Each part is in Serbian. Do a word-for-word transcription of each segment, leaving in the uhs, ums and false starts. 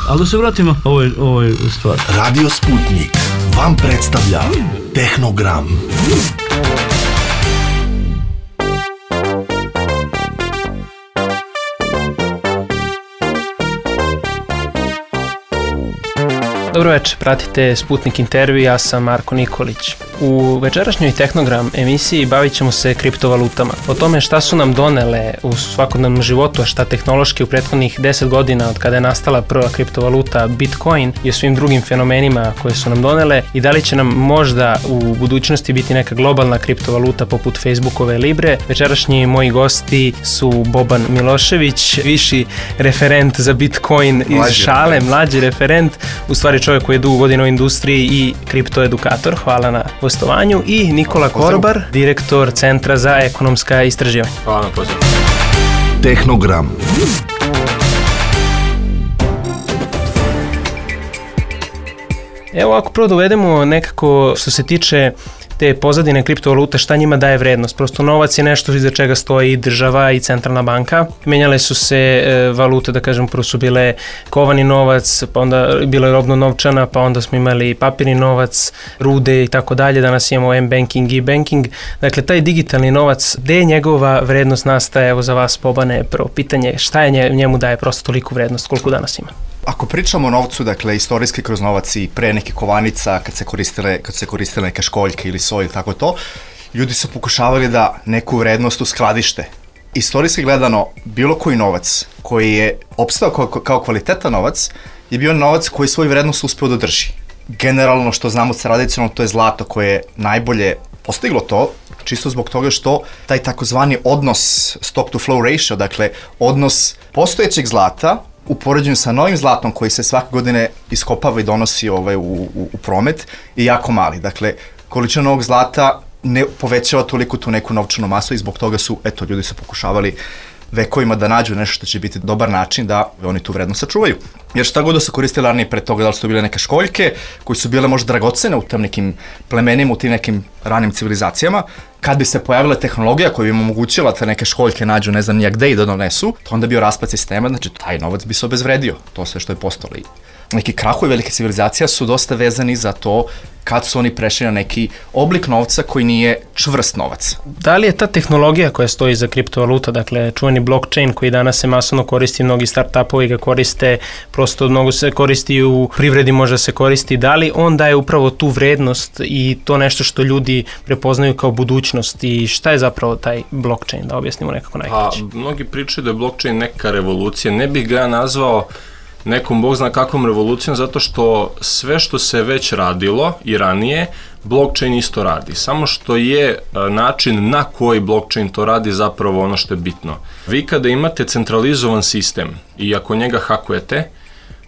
Ali da se vratimo ovoj, ovoj stvari. Radio Sputnik vam predstavlja Tehnogram. Dobro večer, pratite Sputnik intervju, ja sam Marko Nikolić. U večerašnjoj Tehnogram emisiji bavit ćemo se kriptovalutama. O tome šta su nam donele u svakodnevnom životu, a šta tehnološki u prethodnih deset godina od kada je nastala prva kriptovaluta Bitcoin i o svim drugim fenomenima koje su nam donele i da li će nam možda u budućnosti biti neka globalna kriptovaluta poput Facebookove Libre. Večerašnji moji gosti su Boban Milošević, viši referent za Bitcoin iz mlađi Šale, referent. mlađi referent, u stvari čovjek koji je dugo godina u industriji i kriptoedukator. Hvala na gostovanju. I Nikola Korbar, direktor Centra za ekonomska istraživanja. Hvala na pozivu. Tehnogram. Evo, ako prvo dovedemo nekako što se tiče te pozadine kriptovalute, šta njima daje vrednost. Prosto novac je nešto iza čega stoji i država i centralna banka. Menjale su se e, valute, da kažem, prvo su bile kovani novac, pa onda bila je robno novčana, pa onda smo imali papirni novac, rude i tako dalje. Danas imamo M-banking i e-banking. Dakle, taj digitalni novac, gde je njegova vrednost nastaje? Evo za vas, Bobane, prvo pitanje, šta je njemu daje prosto toliku vrednost, koliko danas ima? Ako pričamo o novcu, dakle, istorijski kroz novac i pre neke kovanica, kad se koristile, kad se koristile neke školjke ili soj ili tako to, ljudi su pokušavali da neku vrednost uskladište. Istorijski gledano, bilo koji novac koji je opstao kao, kao kvalitetan novac je bio novac koji svoju vrednost uspeo da drži. Generalno, što znamo tradicionalno, to je zlato koje je najbolje postiglo to, čisto zbog toga što taj takozvani odnos stock to flow ratio, dakle, odnos postojećeg zlata u poređenju sa novim zlatom koji se svake godine iskopava i donosi ovaj, u, u, u promet je jako mali. Dakle, količina novog zlata ne povećava toliko tu neku novčanu masu i zbog toga su, eto, ljudi su pokušavali vekovima da nađu nešto što će biti dobar način da oni tu vrednost sačuvaju. Jer šta god da su koristili ranije pre toga, da li su bile neke školjke koje su bile možda dragocene u tim nekim plemenima, u tim nekim ranim civilizacijama, kad bi se pojavila tehnologija koja bi im omogućila da neke školjke nađu ne znam nijak gde i da donesu, to onda bio raspad sistema, znači taj novac bi se obezvredio, to sve što je postalo. Neki krahovi velike civilizacija su dosta vezani za to kad su oni prešli na neki oblik novca koji nije čvrst novac. Da li je ta tehnologija koja stoji za kriptovaluta, dakle čuveni blockchain koji danas se masovno koristi, mnogi startupovi ga koriste, prosto mnogo se koristi u privredi, može se koristi, da li on daje upravo tu vrednost i to nešto što ljudi prepoznaju kao budućnost i šta je zapravo taj blockchain, da objasnimo nekako najkraće? Pa, mnogi pričaju da je blockchain neka revolucija, ne bih ga ja nazvao nekom bog zna kakvom revolucijom, zato što sve što se već radilo i ranije, blockchain isto radi. Samo što je način na koji blockchain to radi zapravo ono što je bitno. Vi kada imate centralizovan sistem i ako njega hakujete,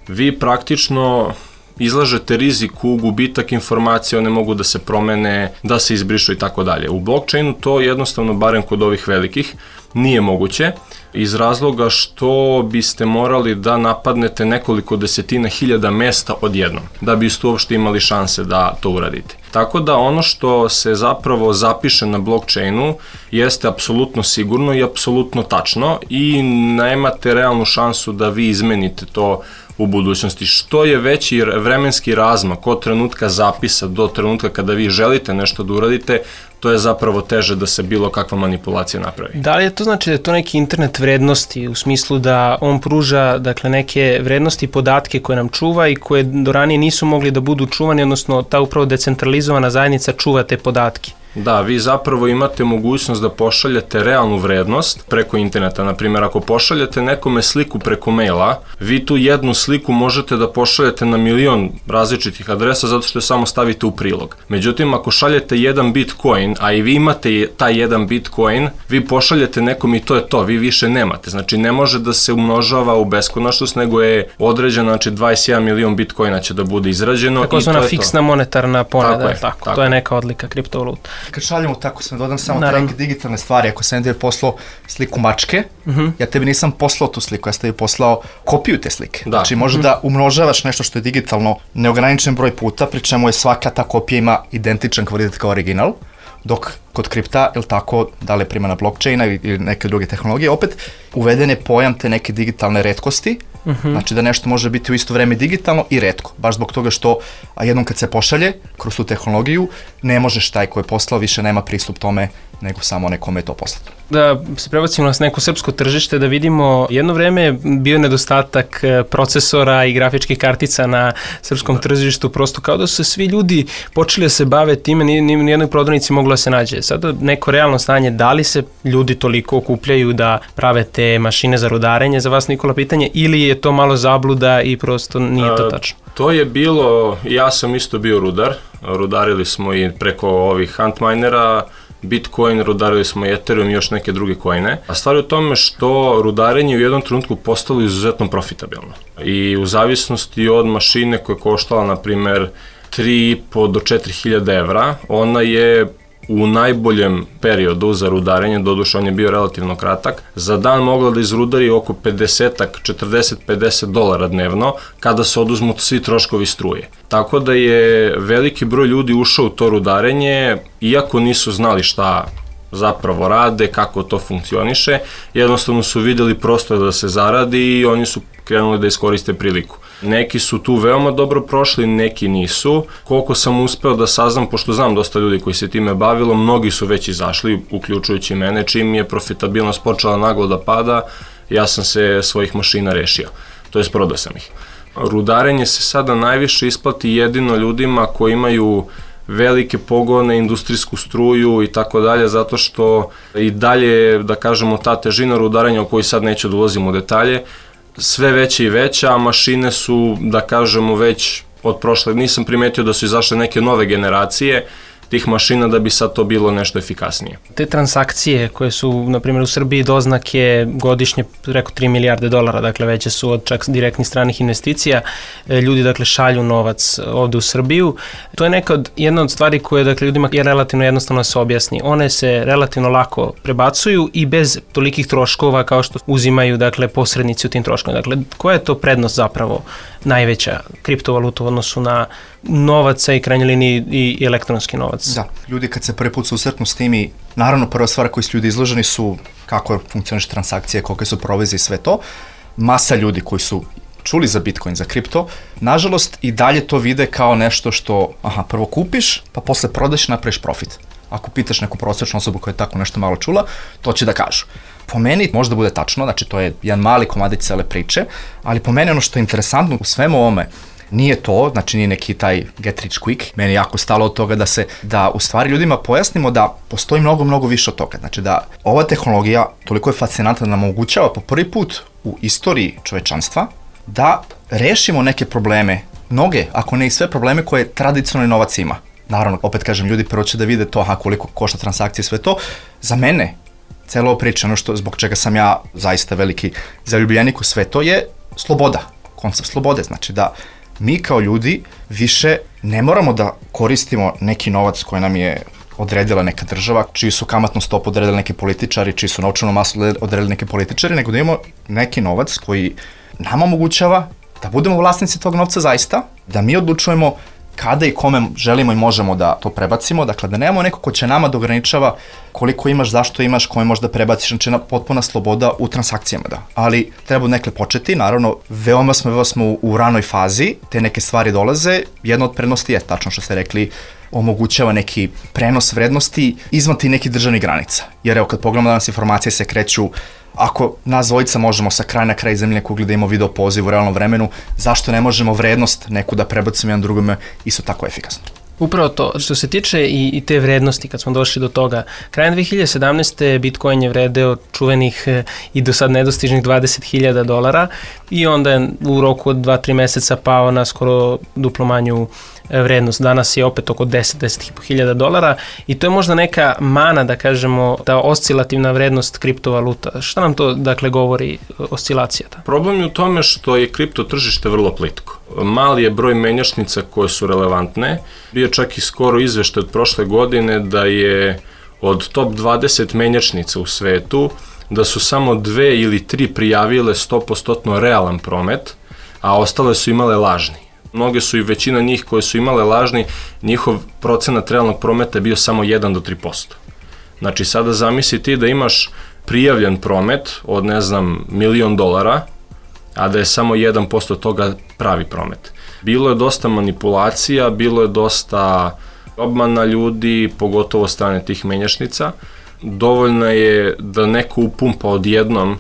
vi praktično izlažete riziku, gubitak informacija, one mogu da se promene, da se izbrišu i tako dalje. U blockchainu to jednostavno, barem kod ovih velikih, nije moguće, iz razloga što biste morali da napadnete nekoliko desetina hiljada mesta odjednom, da biste uopšte imali šanse da to uradite. Tako da ono što se zapravo zapiše na blockchainu jeste apsolutno sigurno i apsolutno tačno i nemate realnu šansu da vi izmenite to u budućnosti. Što je veći vremenski razmak od trenutka zapisa do trenutka kada vi želite nešto da uradite, to je zapravo teže da se bilo kakva manipulacija napravi. Da li je to znači da je to neki internet vrednosti u smislu da on pruža dakle neke vrednosti i podatke koje nam čuva i koje do ranije nisu mogli da budu čuvani, odnosno ta upravo decentralizovana zajednica čuva te podatke? Da, vi zapravo imate mogućnost da pošaljete realnu vrednost preko interneta. Naprimjer, ako pošaljete nekome sliku preko maila, vi tu jednu sliku možete da pošaljete na milion različitih adresa zato što je samo stavite u prilog. Međutim, ako šaljete jedan bitcoin, a i vi imate taj jedan bitcoin, vi pošaljete nekom i to je to, vi više nemate. Znači, ne može da se umnožava u beskonačnost, nego je određeno, znači dvadeset jedan milion bitcoina će da bude izrađeno. Tako i to je to. Fiksna monetarna poneda, tako, je, tako, tako. To je neka odlika kriptovaluta. Kad šaljemo tako, sam dodam samo te neke digitalne stvari. Ako sam tebi poslao sliku mačke, uh-huh. ja tebi nisam poslao tu sliku, ja sam tebi poslao kopiju te slike. Da. Znači, može uh-huh. da umnožavaš nešto što je digitalno neograničen broj puta, pri čemu je svaka ta kopija ima identičan kvalitet kao original, dok kod kripta, ili tako, da li je primjena blockchaina ili neke druge tehnologije, opet uveden je pojam te neke digitalne retkosti, Uh-huh. Znači da nešto može biti u isto vreme digitalno i retko, baš zbog toga što a jednom kad se pošalje kroz tu tehnologiju, ne možeš taj ko je poslao, više nema pristup tome nego samo nekome je to poslato. Da se prebacimo na neko srpsko tržište, da vidimo, jedno vreme bio nedostatak procesora i grafičkih kartica na srpskom da. tržištu, prosto kao da su svi ljudi počeli da se bave time, ni jednoj prodavnici moglo da se nađe. Sada neko realno stanje, da li se ljudi toliko okupljaju da prave te mašine za rudarenje, za vas Nikola pitanje, ili je to malo zabluda i prosto nije to tačno? A, to je bilo, ja sam isto bio rudar, rudarili smo i preko ovih Antminera, Bitcoin, rudarili smo Ethereum i još neke druge coine. A stvar je u tome što rudarenje u jednom trenutku postalo izuzetno profitabilno. I u zavisnosti od mašine koja je koštala, na primer, tri i po do četiri hiljade evra, ona je u najboljem periodu za rudarenje, doduše on je bio relativno kratak, za dan mogla da izrudari oko pedeset, četrdeset do pedeset dolara dnevno kada se oduzmu svi troškovi struje. Tako da je veliki broj ljudi ušao u to rudarenje, iako nisu znali šta zapravo rade, kako to funkcioniše, jednostavno su videli prostor da se zaradi i oni su krenuli da iskoriste priliku. Neki su tu veoma dobro prošli, neki nisu. Koliko sam uspeo da saznam, pošto znam dosta ljudi koji se time bavilo, mnogi su već izašli, uključujući mene, čim je profitabilnost počela naglo da pada, ja sam se svojih mašina rešio, to jest prodao sam ih. Rudarenje se sada najviše isplati jedino ljudima koji imaju velike pogone, industrijsku struju i tako dalje, zato što i dalje, da kažemo, ta težina rudarenja o kojoj sad neću da ulazim u detalje, sve veće i veća, a mašine su, da kažemo, već od prošle, nisam primetio da su izašle neke nove generacije tih mašina da bi sad to bilo nešto efikasnije. Te transakcije koje su, na primjer, u Srbiji doznake godišnje preko tri milijarde dolara, dakle veće su od čak direktnih stranih investicija, ljudi dakle šalju novac ovde u Srbiju. To je neka od, jedna od stvari koje dakle ljudima je relativno jednostavno da se objasni. One se relativno lako prebacuju i bez tolikih troškova kao što uzimaju dakle posrednici u tim troškovima. Dakle, koja je to prednost zapravo najveća kriptovaluta u odnosu na novaca i krajnjoj liniji i elektronski novac? Da, ljudi kad se prvi put susretnu s tim i naravno prva stvar koju su ljudi izloženi su kako funkcioniš transakcije, kolike su provizije i sve to. Masa ljudi koji su čuli za Bitcoin, za kripto, nažalost i dalje to vide kao nešto što, aha, prvo kupiš, pa posle prodaš i napraviš profit. Ako pitaš neku prosječnu osobu koja je tako nešto malo čula, to će da kažu. Po meni možda bude tačno, znači to je jedan mali komadić cele priče, ali po meni ono što je interesantno u svemu ovome, nije to, znači nije neki taj get rich quick, meni je jako stalo od toga da se, da u stvari ljudima pojasnimo da postoji mnogo, mnogo više od toga, znači da ova tehnologija toliko je fascinantna da nam omogućava po prvi put u istoriji čovečanstva da rešimo neke probleme, mnoge, ako ne i sve probleme koje tradicionalni novac ima. Naravno, opet kažem, ljudi prvo će da vide to, aha, koliko košta transakcije, sve to. Za mene, celo ovo priča, ono što, zbog čega sam ja zaista veliki zaljubljenik u sve to je sloboda, koncept slobode, znači da mi kao ljudi više ne moramo da koristimo neki novac koji nam je odredila neka država, čiji su kamatnu stopu odredili neki političari, čiji su novčanu masu odredili neki političari, nego da imamo neki novac koji nama omogućava da budemo vlasnici tog novca zaista, da mi odlučujemo kada i kome želimo i možemo da to prebacimo, dakle da nemamo neko ko će nama da ograničava koliko imaš, zašto imaš, kome možda prebaciš, znači potpuna sloboda u transakcijama, da. Ali treba nekle početi, naravno, veoma smo, veoma smo u, u ranoj fazi, te neke stvari dolaze, jedna od prednosti je, tačno što ste rekli, omogućava neki prenos vrednosti izvan ti nekih državnih granica. Jer evo, kad pogledamo danas informacije se kreću, ako nas dvojica možemo sa kraja na kraj zemlje kugle da imamo video poziv u realnom vremenu, zašto ne možemo vrednost neku da prebacimo jedan drugome isto tako efikasno? Upravo to, što se tiče i, i te vrednosti, kad smo došli do toga, krajem dve hiljade sedamnaeste. Bitcoin je vredeo čuvenih i do sad nedostižnih dvadeset hiljada dolara i onda je u roku od dva do tri meseca pao na skoro duplo manju vrednost. Danas je opet oko deset do deset hiljada dolara i to je možda neka mana, da kažemo, ta oscilativna vrednost kriptovaluta. Šta nam to, dakle, govori oscilacija? Ta? Problem je u tome što je kripto tržište vrlo plitko. Mali je broj menjačnica koje su relevantne. Bio čak i skoro izveštaj od prošle godine da je od top dvadeset menjačnica u svetu, da su samo dve ili tri prijavile sto posto realan promet, a ostale su imale lažni. Mnoge su i većina njih koje su imale lažni, njihov procenat realnog prometa je bio samo jedan do tri posto. Znači sada zamisli ti da imaš prijavljen promet od, ne znam, milion dolara a da je samo jedan posto toga pravi promet. Bilo je dosta manipulacija, bilo je dosta obmana ljudi, pogotovo strane tih menjačnica. Dovoljno je da neko upumpa odjednom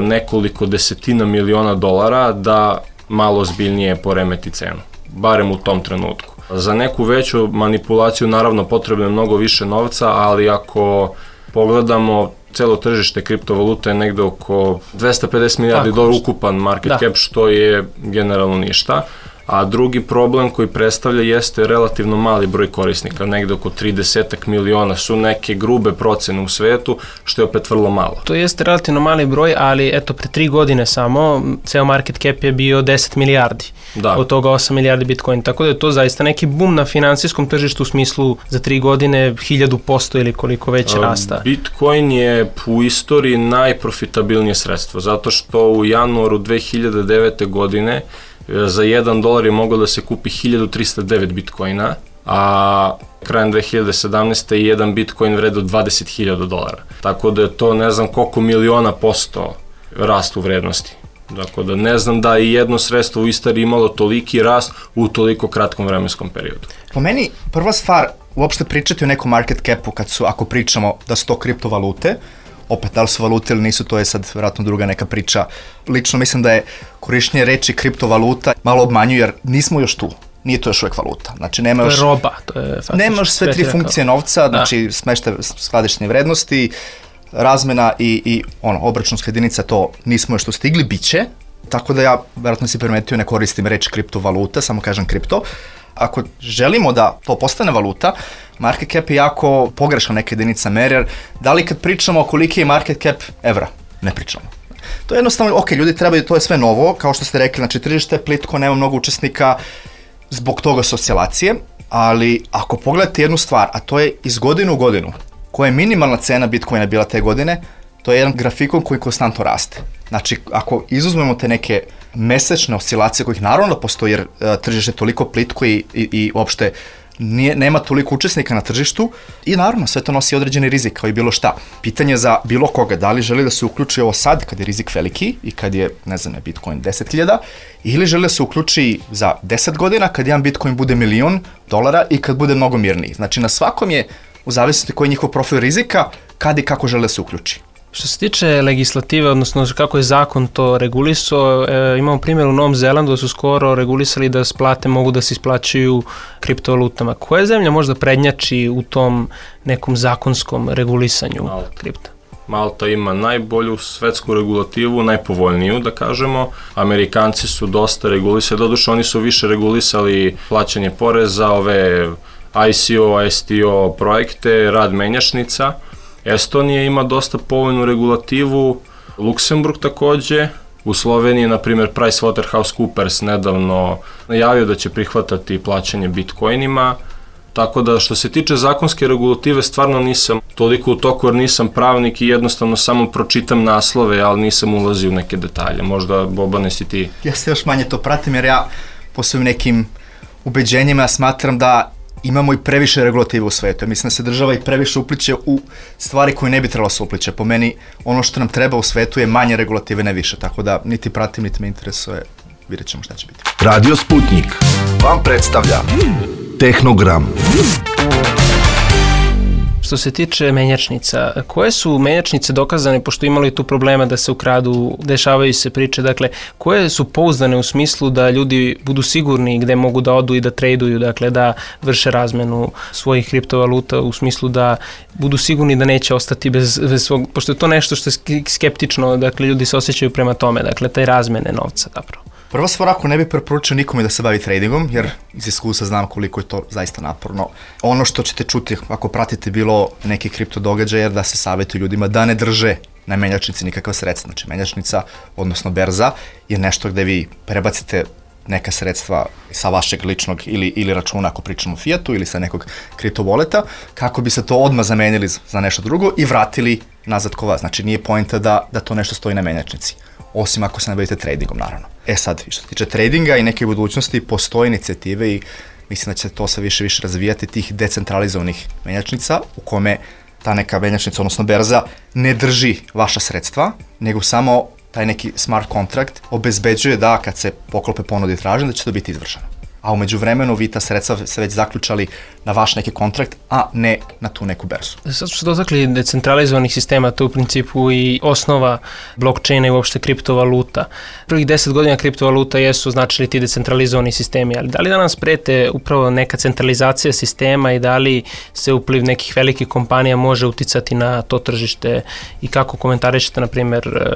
nekoliko desetina miliona dolara da malo zbiljnije poremeti cenu, barem u tom trenutku. Za neku veću manipulaciju naravno potrebno je mnogo više novca, ali ako pogledamo celo tržište kriptovaluta je negde oko dvesta pedeset milijardi dolara ukupan market da. cap, što je generalno ništa. A drugi problem koji predstavlja jeste relativno mali broj korisnika, negde oko trideset miliona su neke grube procene u svetu, što je opet vrlo malo. To jeste relativno mali broj, ali eto pre tri godine samo ceo market cap je bio deset milijardi, da. Od toga osam milijardi Bitcoin, tako da je to zaista neki boom na finansijskom tržištu u smislu za tri godine hiljadu posto ili koliko već rasta. Bitcoin je u istoriji najprofitabilnije sredstvo, zato što u januaru dve hiljade devete. godine za jedan dolar je moglo da se kupi hiljadu trista devet bitcoina, a krajem dve hiljade sedamnaeste. jedan bitcoin vredeo dvadeset hiljada dolara. Tako da je to ne znam koliko miliona posto rast u vrednosti. Tako da ne znam da je jedno sredstvo u istoriji imalo toliki rast u toliko kratkom vremenskom periodu. Po meni prva stvar uopšte pričati o nekom market capu kad su, ako pričamo da su to kriptovalute, opet, da li su valute ili nisu, to je sad vjerojatno druga neka priča. Lično mislim da je korištenje reči kriptovaluta malo obmanjuje jer nismo još tu. Nije to još uvijek valuta. Znači, nema još, to je roba. To je nema još sve tri funkcije novca, znači smeštaj skladišne vrednosti, razmena i, i ono, obračunska jedinica, to nismo još tu stigli, bit će. Tako da ja, vjerojatno si primetio, ne koristim reč kriptovaluta, samo kažem kripto. Ako želimo da to postane valuta, market cap je jako pogrešna neka jedinica mere, jer da li kad pričamo koliki je market cap evra? Ne pričamo. To je jednostavno, ok, ljudi trebaju, to je sve novo, kao što ste rekli, znači tržište je plitko, nema mnogo učesnika, zbog toga su oscilacije, ali ako pogledate jednu stvar, a to je iz godine u godinu, koja je minimalna cena Bitcoina bila te godine, to je jedan grafikon koji konstantno raste. Znači, ako izuzmemo te neke mesečne oscilacije kojih naravno postoji jer uh, tržište je toliko plitko i, i, i uopšte nije, nema toliko učesnika na tržištu i naravno sve to nosi određeni rizik kao i bilo šta. Pitanje za bilo koga, da li želi da se uključi ovo sad kad je rizik veliki i kad je, ne znam, Bitcoin deset hiljada ili želi da se uključi za deset godina kad jedan Bitcoin bude milion dolara i kad bude mnogo mirniji. Znači, na svakom je, u zavisnosti koji je njihov profil rizika, kad i kako žele da se uključi. Što se tiče legislative, odnosno kako je zakon to regulisao, e, imamo primjer u Novom Zelandu da su skoro regulisali da plate mogu da se isplaćuju kriptovalutama. Koja zemlja možda prednjači u tom nekom zakonskom regulisanju Malta. kripta? Malta ima najbolju svetsku regulativu, najpovoljniju da kažemo. Amerikanci su dosta regulisali, doduše oni su više regulisali plaćanje poreza, ove I C O, S T O projekte, rad menjačnica. Estonija ima dosta povoljnu regulativu, Luksemburg takođe, u Sloveniji, na primjer, PricewaterhouseCoopers nedavno najavio da će prihvatati plaćanje bitcoinima, tako da što se tiče zakonske regulative stvarno nisam toliko u toku jer nisam pravnik i jednostavno samo pročitam naslove, ali nisam ulazio u neke detalje, možda Bobane si ti. Ja se još manje to pratim jer ja po svojim nekim ubeđenjima smatram da imamo i previše regulative u svetu. Mislim da se država i previše upliče u stvari koje ne bi trebalo se upliče. Po meni, ono što nam treba u svetu je manje regulative, ne više. Tako da niti pratim, niti me interesuje. Vidjet ćemo šta će biti. Radio Sputnik vam predstavlja Tehnogram. Što se tiče menjačnica, koje su menjačnice dokazane, pošto imali tu problema da se ukradu, dešavaju se priče, dakle, koje su pouzdane u smislu da ljudi budu sigurni gde mogu da odu i da traduju, dakle, da vrše razmenu svojih kriptovaluta u smislu da budu sigurni da neće ostati bez, bez svog, pošto je to nešto što je skeptično, dakle, ljudi se osjećaju prema tome, dakle, taj razmene novca, zapravo. Prva stvar, ako ne bi preporučio nikome da se bavi tradingom, jer iz iskustva znam koliko je to zaista naporno. Ono što ćete čuti ako pratite bilo neki kripto događaj, jer da se savjetuju ljudima da ne drže na menjačnici nikakva sredstva. Znači, menjačnica, odnosno berza, je nešto gde vi prebacite neka sredstva sa vašeg ličnog ili, ili računa ako pričamo o fiatu ili sa nekog kriptovoleta, kako bi se to odmah zamenili za nešto drugo i vratili nazad ko vas. Znači, nije poenta da, da to nešto stoji na menjačnici. Osim ako se ne bavite tradingom, naravno. E sad, što se tiče tradinga i neke budućnosti, postoje inicijative i mislim da će to sve više više razvijati tih decentralizovanih menjačnica u kome ta neka menjačnica, odnosno berza, ne drži vaša sredstva, nego samo taj neki smart kontrakt obezbeđuje da kad se poklope ponude i tražnje da će to biti izvršeno. A umeđu vremenu vi ta sredstva se već zaključali na vaš neki kontrakt, a ne na tu neku berzu. Sad smo se dotakli decentralizovanih sistema, to je u principu i osnova blockchaina i uopšte kriptovaluta. Prvih deset godina kriptovaluta jesu značili ti decentralizovani sistemi, ali da li da nas prete upravo neka centralizacija sistema i da li se upliv nekih velikih kompanija može uticati na to tržište i kako komentarišete, na primjer,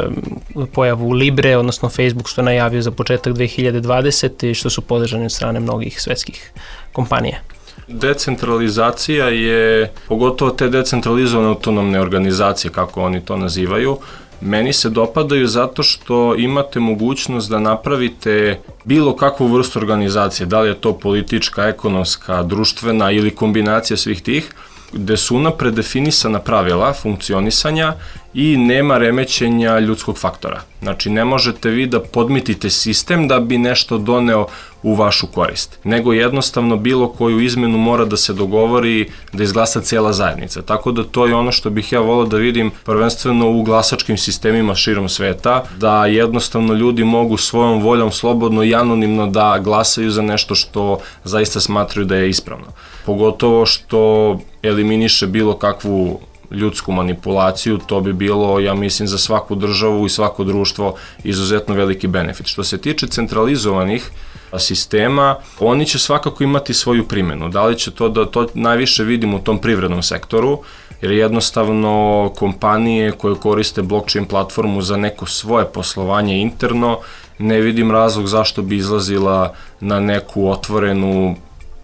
pojavu Libre, odnosno Facebook što je najavio za početak dve hiljade dvadesete i što su podržani od strane mnogih svetskih kompanija? Decentralizacija je, pogotovo te decentralizovane autonomne organizacije, kako oni to nazivaju, meni se dopadaju zato što imate mogućnost da napravite bilo kakvu vrstu organizacije, da li je to politička, ekonomska, društvena ili kombinacija svih tih, gde su unapred definisana pravila funkcionisanja i nema remećenja ljudskog faktora. Znači, ne možete vi da podmitite sistem da bi nešto doneo u vašu korist, nego jednostavno bilo koju izmenu mora da se dogovori da izglasa cijela zajednica. Tako da to je ono što bih ja volao da vidim prvenstveno u glasačkim sistemima širom sveta, da jednostavno ljudi mogu svojom voljom slobodno i anonimno da glasaju za nešto što zaista smatraju da je ispravno. Pogotovo što eliminiše bilo kakvu ljudsku manipulaciju, to bi bilo, ja mislim, za svaku državu i svako društvo izuzetno veliki benefit. Što se tiče centralizovanih sistema, oni će svakako imati svoju primjenu. Da li će to da to najviše vidimo u tom privrednom sektoru, jer jednostavno kompanije koje koriste blockchain platformu za neko svoje poslovanje interno, ne vidim razlog zašto bi izlazila na neku otvorenu,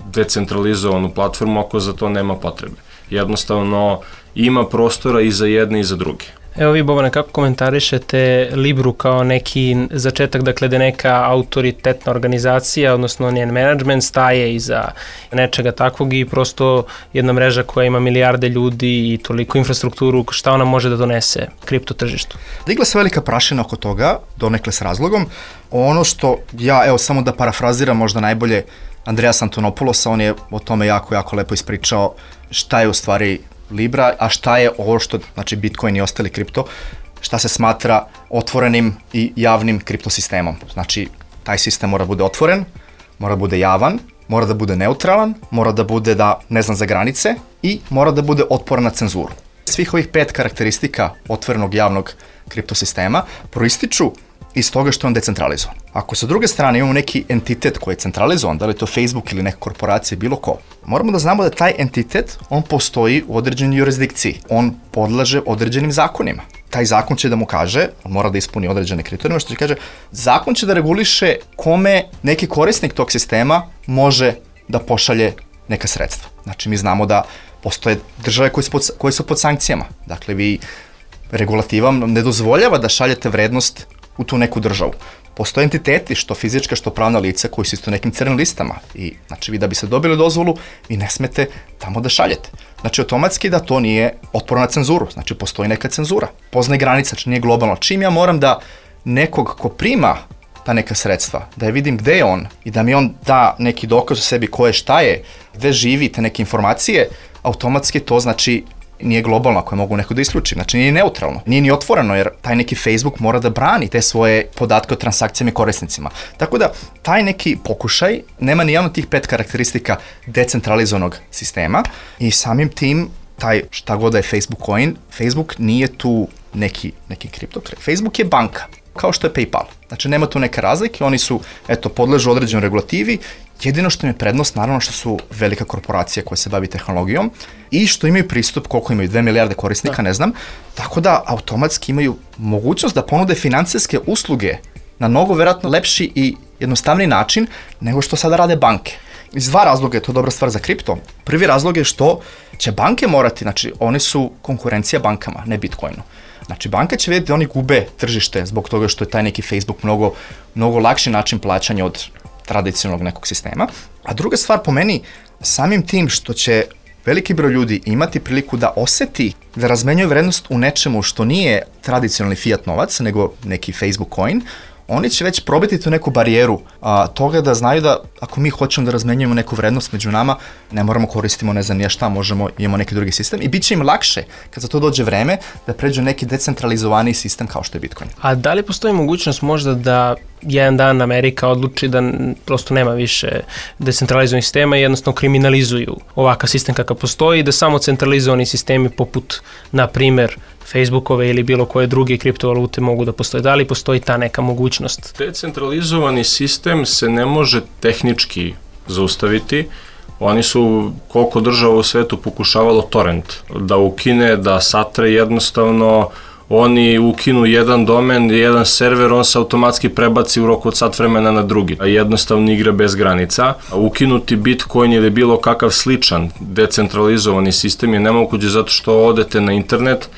decentralizovanu platformu ako za to nema potrebe. Jednostavno ima prostora i za jedne i za druge. Evo vi, Bobane, kako komentarišete Libru kao neki začetak, dakle da neka autoritetna organizacija, odnosno njen management staje iza nečega takvog i prosto jedna mreža koja ima milijarde ljudi i toliko infrastrukturu, šta ona može da donese kripto tržištu? Digla se velika prašina oko toga, donekle s razlogom. Ono što ja, evo samo da parafraziram možda najbolje Andreas Antonopoulosa, on je o tome jako, jako lepo ispričao šta je u stvari Libra, a šta je ovo što, znači Bitcoin i ostali kripto, šta se smatra otvorenim i javnim kriptosistemom. Znači, taj sistem mora bude otvoren, mora bude javan, mora da bude neutralan, mora da bude da ne znam za granice i mora da bude otporan na cenzuru. Svih ovih pet karakteristika otvorenog javnog kriptosistema proističu iz toga što je on decentralizovan. Ako sa druge strane imamo neki entitet koji je centralizovan, da li je to Facebook ili neka korporacija, bilo ko, moramo da znamo da taj entitet, on postoji u određenoj jurisdikciji. On podlaže određenim zakonima. Taj zakon će da mu kaže, on mora da ispuni određene kriterijume, što će kaže, zakon će da reguliše kome neki korisnik tog sistema može da pošalje neka sredstva. Znači, mi znamo da postoje države koje su pod, koje su pod sankcijama. Dakle, vi regulativa ne dozvoljava da šaljete vrednost u tu neku državu. Postoje entiteti, što fizička, što pravna lica, koji su isto nekim crnim listama. I, znači, vi da bi se dobili dozvolu, vi ne smete tamo da šaljete. Znači, automatski da to nije otporno na cenzuru. Znači, postoji neka cenzura. Poznaje granica, znači nije globalno. Čim ja moram da nekog ko prima ta neka sredstva, da je vidim gde je on i da mi on da neki dokaz o sebi ko je, šta je, gde živi, te neke informacije, automatski to znači nije globalno ako je mogu neko da isključi. Znači nije neutralno, nije ni otvoreno jer taj neki Facebook mora da brani te svoje podatke o transakcijama i korisnicima. Tako da taj neki pokušaj nema ni jedan od tih pet karakteristika decentralizovanog sistema i samim tim taj šta god da je Facebook coin, Facebook nije tu neki, neki kripto. Facebook je banka, kao što je PayPal. Znači nema tu neke razlike, oni su, eto, podležu određenoj regulativi, jedino što im je prednost, naravno što su velika korporacija koja se bavi tehnologijom i što imaju pristup, koliko imaju, dve milijarde korisnika, da. ne znam, tako da automatski imaju mogućnost da ponude finansijske usluge na mnogo verovatno lepši i jednostavniji način nego što sada rade banke. Iz dva razloga je to dobra stvar za kripto. Prvi razlog je što će banke morati, znači one su konkurencija bankama, ne Bitcoinu. Znači, banka će vidjeti da oni gube tržište zbog toga što je taj neki Facebook mnogo, mnogo lakši način plaćanja od tradicionalnog nekog sistema. A druga stvar po meni, samim tim što će veliki broj ljudi imati priliku da oseti da razmenjuju vrednost u nečemu što nije tradicionalni fiat novac, nego neki Facebook coin, oni će već probiti tu neku barijeru a, toga da znaju da ako mi hoćemo da razmenjujemo neku vrednost među nama, ne moramo koristimo ne znam ja šta, možemo, imamo neki drugi sistem i bit će im lakše kad za to dođe vreme da pređu neki decentralizovani sistem kao što je Bitcoin. A da li postoji mogućnost možda da jedan dan Amerika odluči da prosto nema više decentralizovanih sistema i jednostavno kriminalizuju ovakav sistem kakav postoji i da samo centralizovani sistemi poput, na primjer, Facebookove ili bilo koje druge kriptovalute mogu da postoje? Da li postoji ta neka mogućnost? Decentralizovani sistem se ne može tehnički zaustaviti. Oni su, koliko država u svetu pokušavalo torrent da ukine, da satre, jednostavno oni ukinu jedan domen, jedan server, on se automatski prebaci u roku od sat vremena na drugi. Jednostavno igra bez granica. Ukinuti Bitcoin ili bilo kakav sličan decentralizovani sistem je nemoguće zato što odete na internet,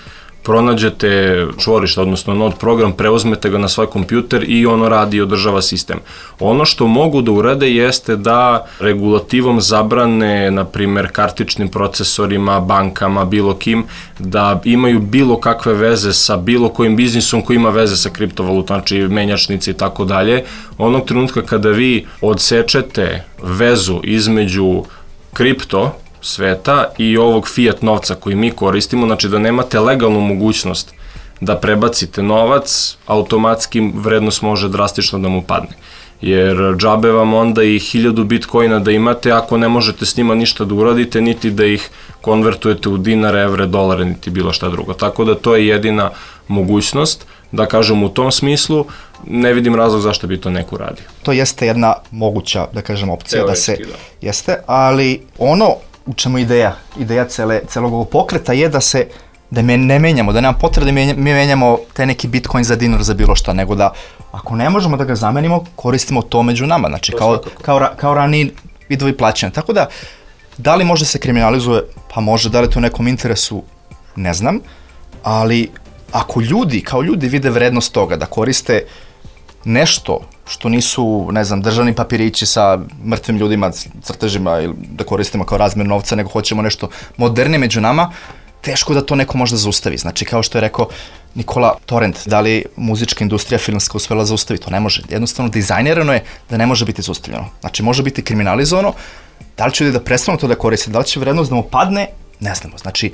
pronađete čvorište, odnosno node program, preuzmete ga na svoj kompjuter i ono radi i održava sistem. Ono što mogu da urade jeste da regulativom zabrane, na primjer, kartičnim procesorima, bankama, bilo kim, da imaju bilo kakve veze sa bilo kojim biznisom koji ima veze sa kriptovalutom, znači menjačnice i tako dalje. Onog trenutka kada vi odsečete vezu između kripto sveta i ovog fiat novca koji mi koristimo, znači da nemate legalnu mogućnost da prebacite novac, automatski vrednost može drastično da mu padne. Jer džabe vam onda i hiljadu bitcoina da imate ako ne možete s njima ništa da uradite, niti da ih konvertujete u dinare, evre, dolare, niti bilo šta drugo. Tako da to je jedina mogućnost, da kažem u tom smislu, ne vidim razlog zašto bi to neko radio. To jeste jedna moguća, da kažem, opcija Teoretski, da se da. jeste, ali ono u čemu ideja, ideja cele, celog ovog pokreta je da se, da me ne menjamo, da nema potrebe da mi menjamo te neki bitcoin za dinar za bilo šta, nego da ako ne možemo da ga zamenimo, koristimo to među nama, znači kao, kao, kao raniji vidovi plaćanja. Tako da, da li može se kriminalizuje, pa može, da li to u nekom interesu, ne znam, ali ako ljudi, kao ljudi vide vrednost toga da koriste nešto što nisu, ne znam, državni papirići sa mrtvim ljudima, crtežima ili da koristimo kao razmjer novca, nego hoćemo nešto modernije među nama, teško da to neko možda zaustavi. Znači, kao što je rekao Nikola, torrent, da li muzička industrija filmska uspela zaustaviti? To ne može. Jednostavno, dizajnirano je da ne može biti zaustavljeno. Znači, može biti kriminalizovano. Da li će ljudi da prestanu to da koriste? Da li će vrednost da mu padne? Ne znamo. Znači,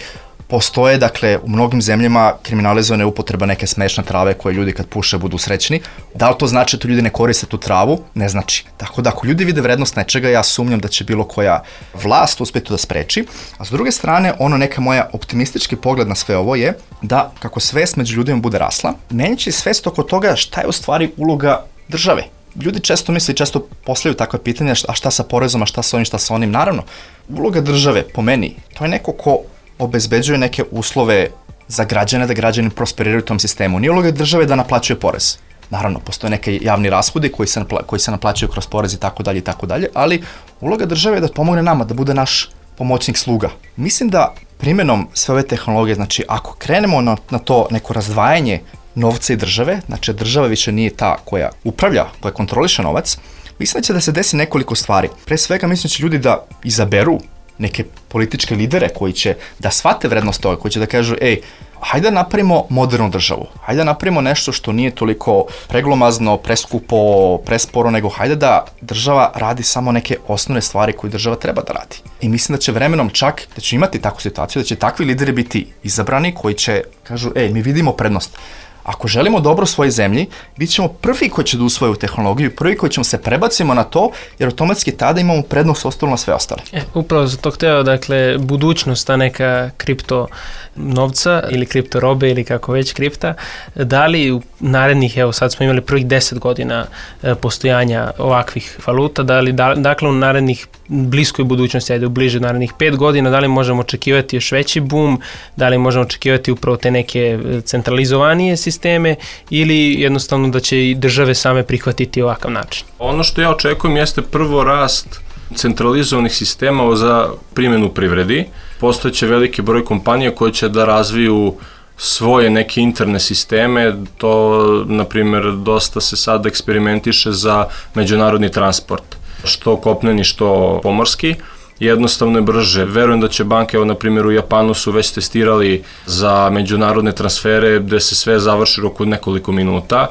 postoje, dakle, u mnogim zemljama kriminalizovane upotreba neke smešne trave koje ljudi kad puše budu srećni. Da li to znači da ljudi ne koriste tu travu? Ne znači. Tako da ako ljudi vide vrednost nečega, ja sumnjam da će bilo koja vlast uspjeti da spreči. A s druge strane, ono neka moja optimistički pogled na sve ovo je da kako svest među ljudima bude rasla, menjaće svest oko toga šta je u stvari uloga države. Ljudi često misle i često postavljaju takve pitanja, a šta sa porezom, a šta sa onim, šta sa onim. Naravno, uloga države, po meni, to je neko ko obezbeđuje neke uslove za građane, da građani prosperiraju u tom sistemu. Nije uloga države da naplaćuje porez. Naravno, postoje neke javni rashodi koji se, napla- koji se naplaćuju kroz porez i tako dalje i tako dalje, ali uloga države je da pomogne nama, da bude naš pomoćnik sluga. Mislim da primjenom sve ove tehnologije, znači ako krenemo na, na to neko razdvajanje novca i države, znači država više nije ta koja upravlja, koja kontroliše novac, mislim da će da se desi nekoliko stvari. Pre svega mislim da će ljudi da izaberu neke političke lidere koji će da shvate vrednost toga, koji će da kažu, ej, hajde da napravimo modernu državu, hajde da napravimo nešto što nije toliko preglomazno, preskupo, presporo, nego hajde da država radi samo neke osnovne stvari koje država treba da radi. I mislim da će vremenom čak, da će imati takvu situaciju, da će takvi lideri biti izabrani koji će, kažu, ej, mi vidimo prednost. Ako želimo dobro svojoj zemlji, bit ćemo prvi koji će da usvoju tehnologiju, prvi koji ćemo se prebacimo na to, jer automatski tada imamo prednost ostalo na sve ostale. E, upravo za to hteo, dakle, budućnost, ta neka kripto novca ili kripto robe ili kako već kripta, da li u narednih, evo sad smo imali prvih deset godina e, postojanja ovakvih valuta, da li, da, dakle u narednih bliskoj budućnosti, ajde u bliže narednih pet godina, da li možemo očekivati još veći boom, da li možemo očekivati upravo te neke centralizovanije sisteme ili jednostavno da će i države same prihvatiti ovakav način? Ono što ja očekujem jeste prvo rast centralizovanih sistema za primjenu privredi. Postojeće veliki broj kompanija koje će da razviju svoje neke interne sisteme, to, na primjer, dosta se sad eksperimentiše za međunarodni transport, što kopneni, što pomorski. Jednostavno je brže. Verujem da će banke, evo na primjer u Japanu su već testirali za međunarodne transfere gde se sve završi oko nekoliko minuta.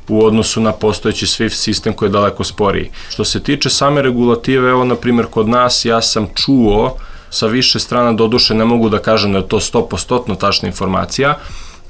u odnosu na postojeći SWIFT sistem koji je daleko sporiji. Što se tiče same regulative, evo na primjer kod nas ja sam čuo sa više strana, doduše ne mogu da kažem da je to sto posto tačna informacija,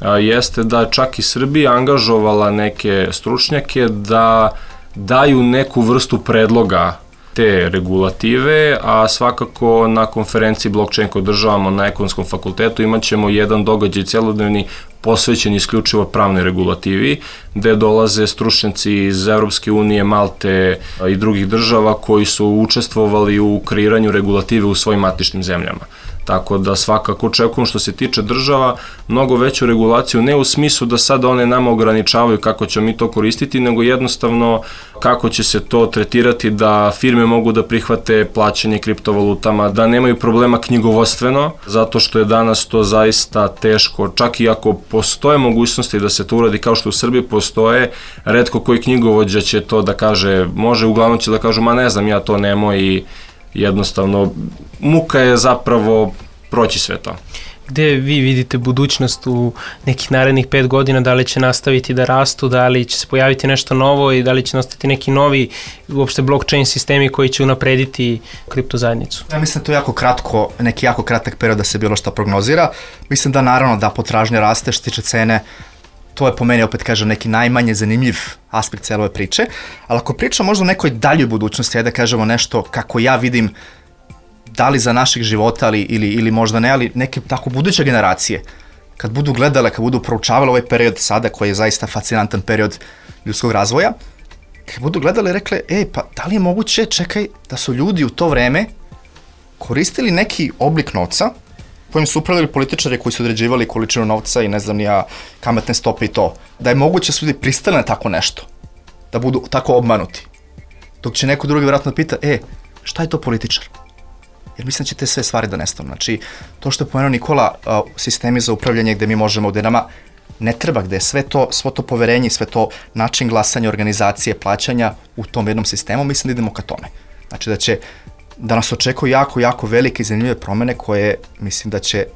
a, jeste da čak i Srbija angažovala neke stručnjake da daju neku vrstu predloga te regulative, a svakako na konferenciji blockchain koju održavamo na Ekonomskom fakultetu imat ćemo jedan događaj celodnevni posvećen isključivo pravnoj regulativi, gde dolaze stručnjaci iz Evropske unije, Malte i drugih država koji su učestvovali u kreiranju regulative u svojim matičnim zemljama. Tako da svakako očekujem što se tiče država mnogo veću regulaciju, ne u smislu da sada one nama ograničavaju kako ćemo mi to koristiti, nego jednostavno kako će se to tretirati da firme mogu da prihvate plaćanje kriptovalutama, da nemaju problema knjigovodstveno, zato što je danas to zaista teško, čak i ako postoje mogućnosti da se to uradi kao što u Srbiji postoje, retko koji knjigovođa će to da kaže, može, uglavnom će da kažu, ma ne znam, ja to nemoj i jednostavno, muka je zapravo proći sve to. Gde vi vidite budućnost u nekih narednih pet godina, da li će nastaviti da rastu, da li će se pojaviti nešto novo i da li će nastati neki novi uopšte blockchain sistemi koji će unaprediti kripto zajednicu? Ja mislim da to je jako kratko, neki jako kratak period da se bilo što prognozira. Mislim da naravno da potražnja raste što tiče cene, to je po meni, opet kažem, neki najmanje zanimljiv aspekt cele ove priče, ali ako pričam možda o nekoj daljoj budućnosti, ajde da kažemo nešto kako ja vidim, da li za našeg života ali, ili, ili možda ne, ali neke tako buduće generacije, kad budu gledale, kad budu proučavale ovaj period sada koji je zaista fascinantan period ljudskog razvoja, kad budu gledale i rekle, ej, pa da li je moguće, čekaj, da su ljudi u to vreme koristili neki oblik novca kojim su upravljali političari koji su određivali količinu novca i ne znam nija kamatne stope i to, da je moguće da su ljudi pristali na tako nešto, da budu tako obmanuti. Dok će neko drugi vjerojatno pita, e, šta je to političar? Jer mislim da će te sve stvari da nestanu. Znači, to što je pomenuo Nikola, uh, sistemi za upravljanje gde mi možemo, gde nama ne treba, gde je sve to, svo to poverenje, sve to način glasanja, organizacije, plaćanja u tom jednom sistemu, mislim da idemo ka tome. Znači da će da nas očekuju jako, jako velike i zanimljive promene koje mislim da će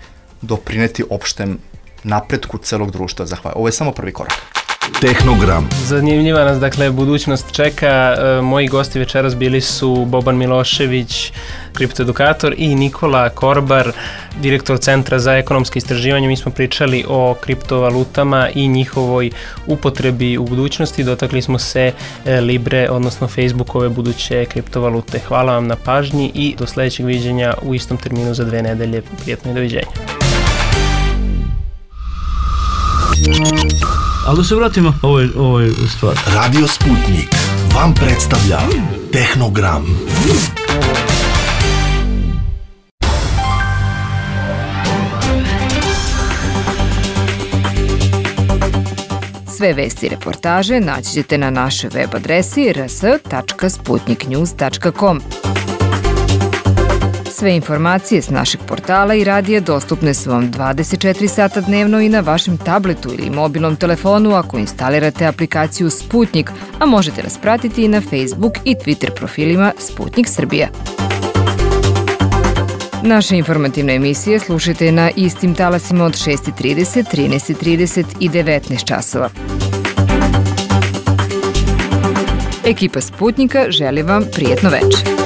doprineti opštem napretku celog društva. Zahvaljujem. Ovo je samo prvi korak. Tehnogram. Zanimljiva nas, dakle, budućnost čeka. E, moji gosti večeras bili su Boban Milošević, kriptoedukator, i Nikola Korbar, direktor Centra za ekonomske istraživanje. Mi smo pričali o kriptovalutama i njihovoj upotrebi u budućnosti. Dotakli smo se e, Libre, odnosno Facebookove buduće kriptovalute. Hvala vam na pažnji i do sledećeg viđenja u istom terminu za dve nedelje. Prijetno i doviđenja. Ali da se vratimo ovoj, ovoj stvari. Radio Sputnik vam predstavlja Tehnogram. Sve vesti i reportaže naći ćete na našoj web adresi r s tačka sputnik news tačka com. Sve informacije s našeg portala i radija dostupne su vam dvadeset četiri sata dnevno i na vašem tabletu ili mobilnom telefonu ako instalirate aplikaciju Sputnik, a možete nas pratiti i na Facebook i Twitter profilima Sputnik Srbija. Naše informativne emisije slušajte na istim talasima od šest i trideset, trinaest i trideset i devetnaest časova. Ekipa Sputnika želi vam prijetno večer.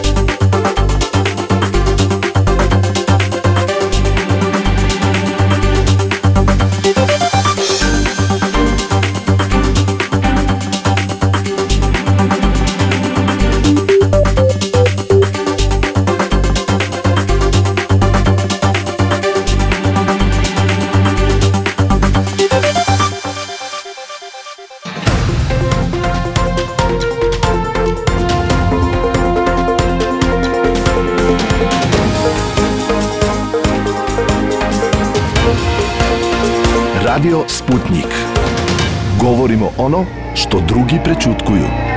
Radio Sputnik. Govorimo ono što drugi prećutkuju.